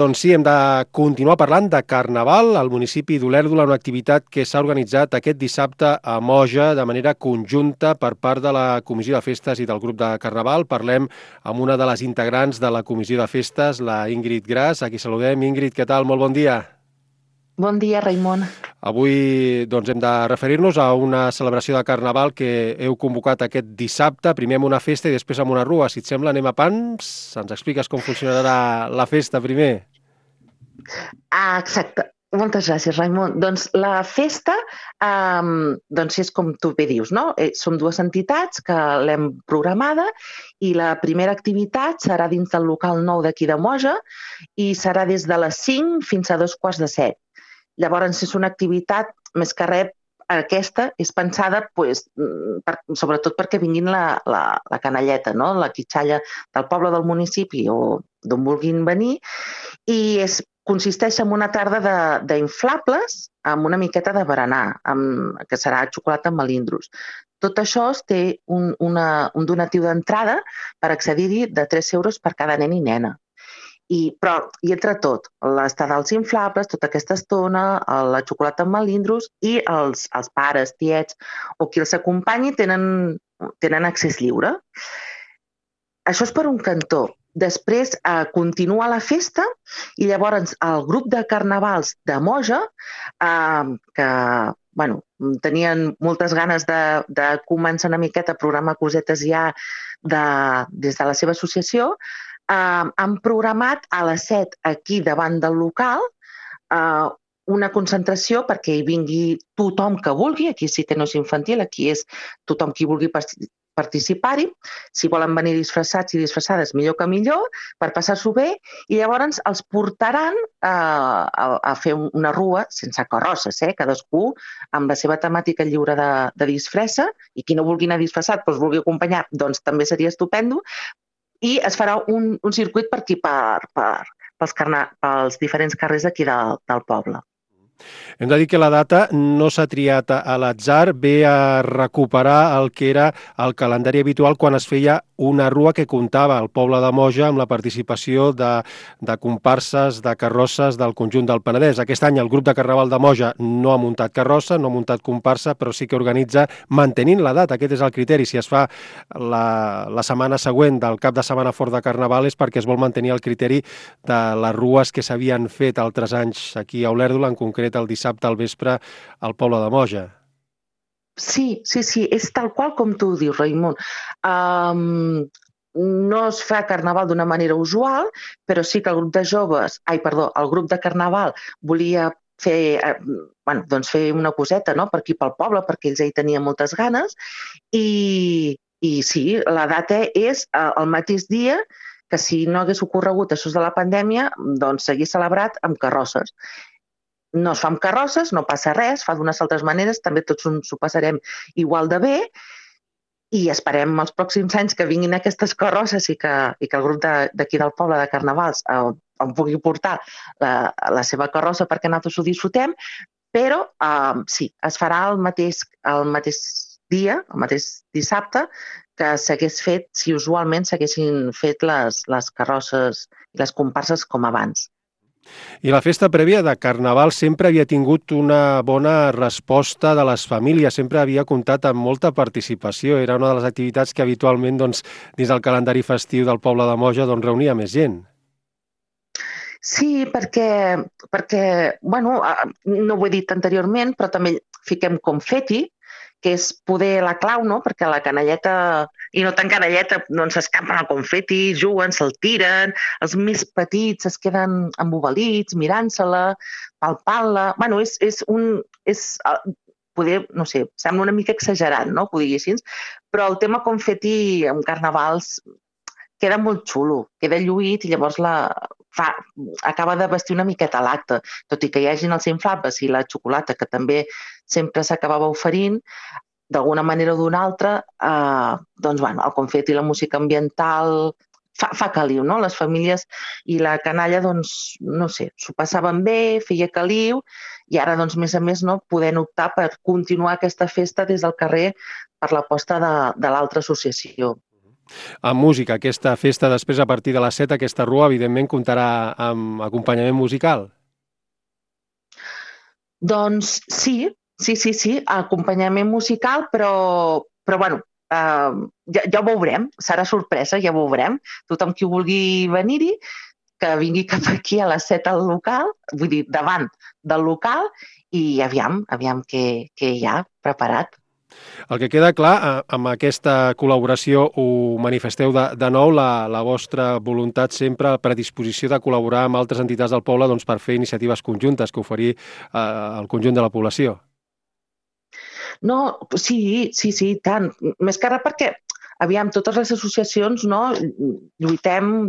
Doncs sí, hem de continuar parlant de Carnaval al municipi d'Olèrdola, una activitat que s'ha organitzat aquest dissabte a Moja de manera conjunta per part de la Comissió de Festes i del grup de Carnaval. Parlem amb una de les integrants de la Comissió de Festes, la Ingrid Gras. Aquí saludem. Ingrid, què tal? Molt bon dia. Bon dia, Raimon. Avui doncs, hem de referir-nos a una celebració de Carnaval que heu convocat aquest dissabte, primer amb una festa i després amb una rua. Si et sembla, anem a pams. Ens expliques com funcionarà la festa primer? Exacte. Moltes gràcies, Raimon. Doncs la festa, doncs és com tu bé dius, no? Som dues entitats que l'hem programada i la primera activitat serà dins del local nou d'aquí de Moja i serà des de les 5 fins a 2:15. Llavors és una activitat, més que res, aquesta és pensada sobretot perquè vinguin la canalleta, no? La quitxalla del poble del municipi o d'on vulguin venir, i consisteix en una tarda d'inflables amb una miqueta de berenar, que serà xocolata amb melindros. Tot això té un donatiu d'entrada per accedir-hi de 3 euros per cada nen i nena. I entre tot, l'estada als inflables, tota aquesta estona, la xocolata amb melindros i els pares, tiets o qui els acompanyi tenen accés lliure. Això és per un cantó. Després continua la festa i llavors el grup de carnavals de Moja, que tenien moltes ganes de començar una miqueta a programar cosetes ja des de la seva associació, han programat a les 7 aquí davant del local una concentració perquè hi vingui tothom que vulgui. Aquí sí que no és infantil, aquí és tothom qui vulgui participar-hi. Si volen venir disfressats i disfressades, millor que millor, per passar-s'ho bé, i llavors els portaran a fer una rua sense carrosses, cadascú amb la seva temàtica lliure de disfressa, i qui no vulgui anar disfressat, doncs vulgui acompanyar, doncs també seria estupendo, i es farà un circuit per aquí, pels diferents carrers d'aquí del poble. Hem de dir que la data no s'ha triat a l'atzar, ve a recuperar el que era el calendari habitual quan es feia una rua que comptava al poble de Moja amb la participació de comparses, de carrosses del conjunt del Penedès. Aquest any el grup de Carnaval de Moja no ha muntat carrossa, no ha muntat comparsa, però sí que organitza mantenint la data. Aquest és el criteri. Si es fa la setmana següent del cap de setmana fort de Carnaval és perquè es vol mantenir el criteri de les rues que s'havien fet altres anys aquí a Olèrdola, en concret el dissabte al vespre al poble de Moja. Sí, és tal qual com tu dius, Raimon. No es fa carnaval d'una manera usual, però sí que el grup de carnaval volia fer una coseta, no?, per aquí pel poble, perquè ells hi tenien moltes ganes, i sí, la data és el mateix dia que si no hagués ocorregut això de la pandèmia, doncs s'hagués celebrat amb carrosses. No es fa amb carrosses, no passa res, fa d'unes altres maneres, també tots s'ho passarem igual de bé, i esperem els pròxims anys que vinguin aquestes carrosses i que el grup d'aquí del poble de Carnavals en pugui portar la seva carrossa perquè nosaltres ho disfrutem, però sí, es farà el mateix dia, el mateix dissabte, que s'hagués fet si usualment s'haguessin fet les carrosses i les comparses com abans. I la festa prèvia de Carnaval sempre havia tingut una bona resposta de les famílies, sempre havia comptat amb molta participació. Era una de les activitats que habitualment dins del calendari festiu del poble de Moja reunia més gent. Sí, perquè no ho he dit anteriorment, però també fiquem confeti, que és poder la clau, no?, perquè la canalleta, i no tan canalleta, doncs s'escampen el confeti, juguen, se'l tiren, els més petits es queden embobalits, mirant-se-la, palpant-la. No sé, sembla una mica exagerat, no?, que ho diguessin, però el tema confeti en carnavals queda molt xulo, queda lluït i llavors acaba de vestir una miqueta l'acte, tot i que hi hagin els inflables i la xocolata, que també sempre s'acabava oferint, d'alguna manera o d'una altra, el confeti i la música ambiental fa caliu, no? Les famílies i la canalla, doncs, no sé, s'ho passaven bé, feia caliu, i ara, doncs, més a més, no, podent optar per continuar aquesta festa des del carrer per l'aposta de l'altra associació. Amb música, aquesta festa després a partir de les 7, aquesta rua, evidentment, comptarà amb acompanyament musical. Doncs sí, acompanyament musical, però bueno, ja ho veurem, serà sorpresa, ja ho veurem. Tothom qui vulgui venir-hi, que vingui cap aquí a les 7 al local, vull dir, davant del local, i aviam què hi ha preparat. El que queda clar, amb aquesta col·laboració ho manifesteu de nou, la vostra voluntat sempre, predisposició de col·laborar amb altres entitats del poble doncs, per fer iniciatives conjuntes que oferir al conjunt de la població. No, sí, tant. Més que res perquè, aviam, totes les associacions, no, lluitem,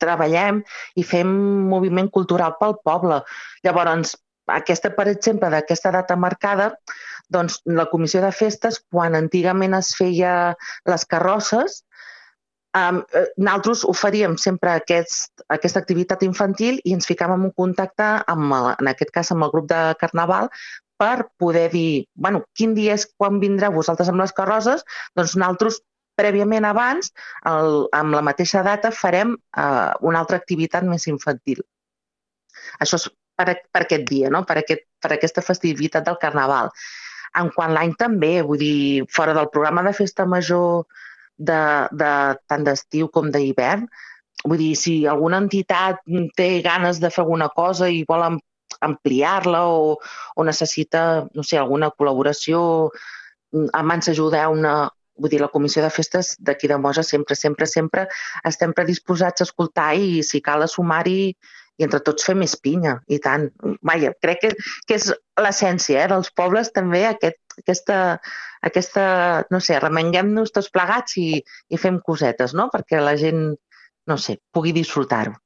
treballem i fem moviment cultural pel poble. Llavors, aquesta, per exemple, d'aquesta data marcada, doncs la comissió de festes, quan antigament es feia les carrosses, nosaltres oferíem sempre aquesta activitat infantil i ens ficàvem en contacte, en aquest cas amb el grup de Carnaval, per poder dir, bueno, quin dia és quan vindreu vosaltres amb les carrosses, doncs nosaltres prèviament abans, amb la mateixa data, farem una altra activitat més infantil. Això és per aquest dia, no? per aquesta festivitat del Carnaval. En quant l'any també, vull dir, fora del programa de festa major tant d'estiu com d'hivern, vull dir, si alguna entitat té ganes de fer alguna cosa i vol ampliar-la o necessita, no sé, alguna col·laboració, ens ajudeu vull dir, la comissió de festes d'aquí de Moja sempre estem predisposats a escoltar i si cal a sumar-hi i entre tots fer més pinya, i tant. Vaja, crec que és l'essència dels pobles també, aquesta, no sé, remenguem-nos tots plegats i fem cosetes, no? Perquè la gent, no sé, pugui disfrutar-ho.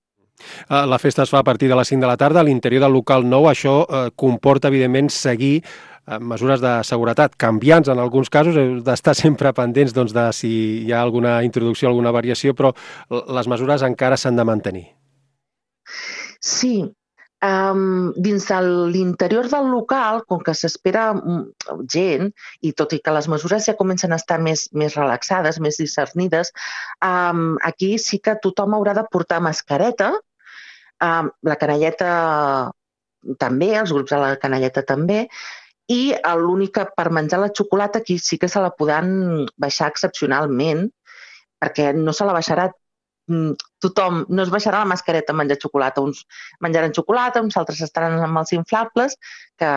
La festa es fa a partir de les 5 de la tarda a l'interior del local nou. Això comporta, evidentment, seguir mesures de seguretat canviants en alguns casos. Heu d'estar sempre pendents doncs, de si hi ha alguna introducció, alguna variació, però les mesures encara s'han de mantenir. Sí, dins de l'interior del local, com que s'espera gent, i tot i que les mesures ja comencen a estar més relaxades, més discernides, aquí sí que tothom haurà de portar mascareta, la canalleta també, els grups de la canalleta també, i l'únic que per menjar la xocolata aquí sí que se la podran baixar excepcionalment, perquè no se la baixarà tothom, no es baixarà la mascareta a menjar xocolata. Uns menjaran xocolata, uns altres estaran amb els inflables, que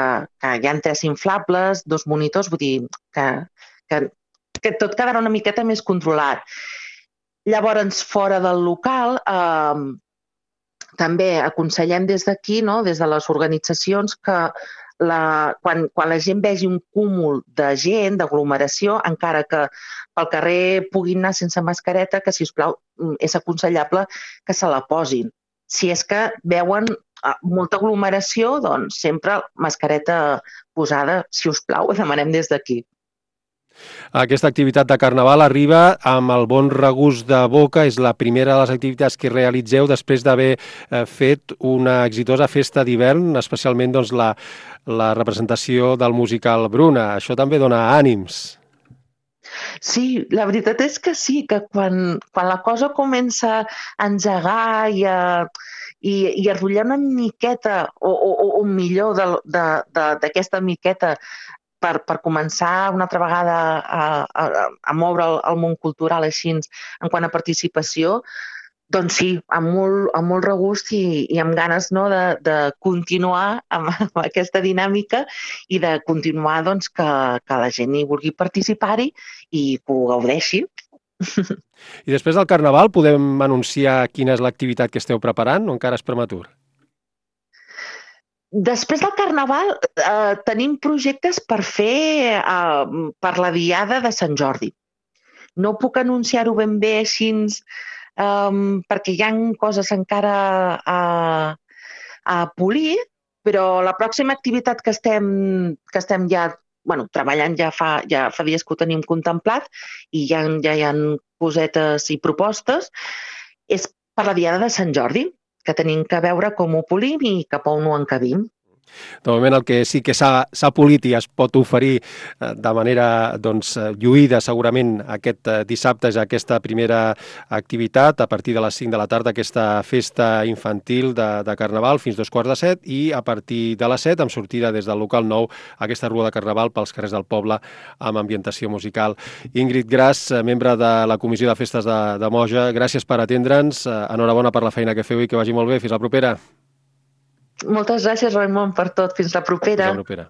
hi ha 3 inflables, 2 monitors, vull dir que tot quedarà una miqueta més controlat. Llavors, fora del local, també aconsellem des d'aquí, no, des de les organitzacions, que quan la gent vegi un cúmul de gent, d'aglomeració, encara que pel carrer puguin anar sense mascareta, que, si us plau, és aconsellable que se la posin. Si és que veuen molta aglomeració, doncs sempre mascareta posada, si us plau, ho demanem des d'aquí. Aquesta activitat de Carnaval arriba amb el bon regust de boca. És la primera de les activitats que realitzeu després d'haver fet una exitosa festa d'hivern, especialment doncs, la representació del musical Bruna. Això també dona ànims. Sí, la veritat és que sí, que quan la cosa comença a engegar i a rotllar una miqueta, o millor d'aquesta miqueta, per començar una altra vegada a moure el món cultural així en quant a participació, doncs sí, amb molt regust i amb ganes, no, de continuar amb aquesta dinàmica i de continuar doncs, que la gent hi vulgui participar-hi i que ho gaudeixi. I després del Carnaval podem anunciar quina és l'activitat que esteu preparant o encara és prematur? Després del Carnaval tenim projectes per fer per la Diada de Sant Jordi. No puc anunciar-ho ben bé així perquè hi ha coses encara a polir, però la pròxima activitat que estem ja treballant ja fa dies que ho tenim contemplat i ja hi ha cosetes i propostes, és per la Diada de Sant Jordi, que tenim que veure com ho polim i cap on ho encabim. De moment el que sí que s'ha polit i es pot oferir de manera lluïda segurament aquest dissabte és aquesta primera activitat a partir de les 5 de la tarda, aquesta festa infantil de Carnaval fins 2:15 i a partir de les 7 amb sortida des del local 9 aquesta rua de Carnaval pels carrers del poble amb ambientació musical. Ingrid Gras, membre de la Comissió de Festes de Moja, gràcies per atendre'ns, enhorabona per la feina que feu i que vagi molt bé. Fins la propera. Moltes gràcies, Raimon, per tot. Fins la propera. Fins la propera.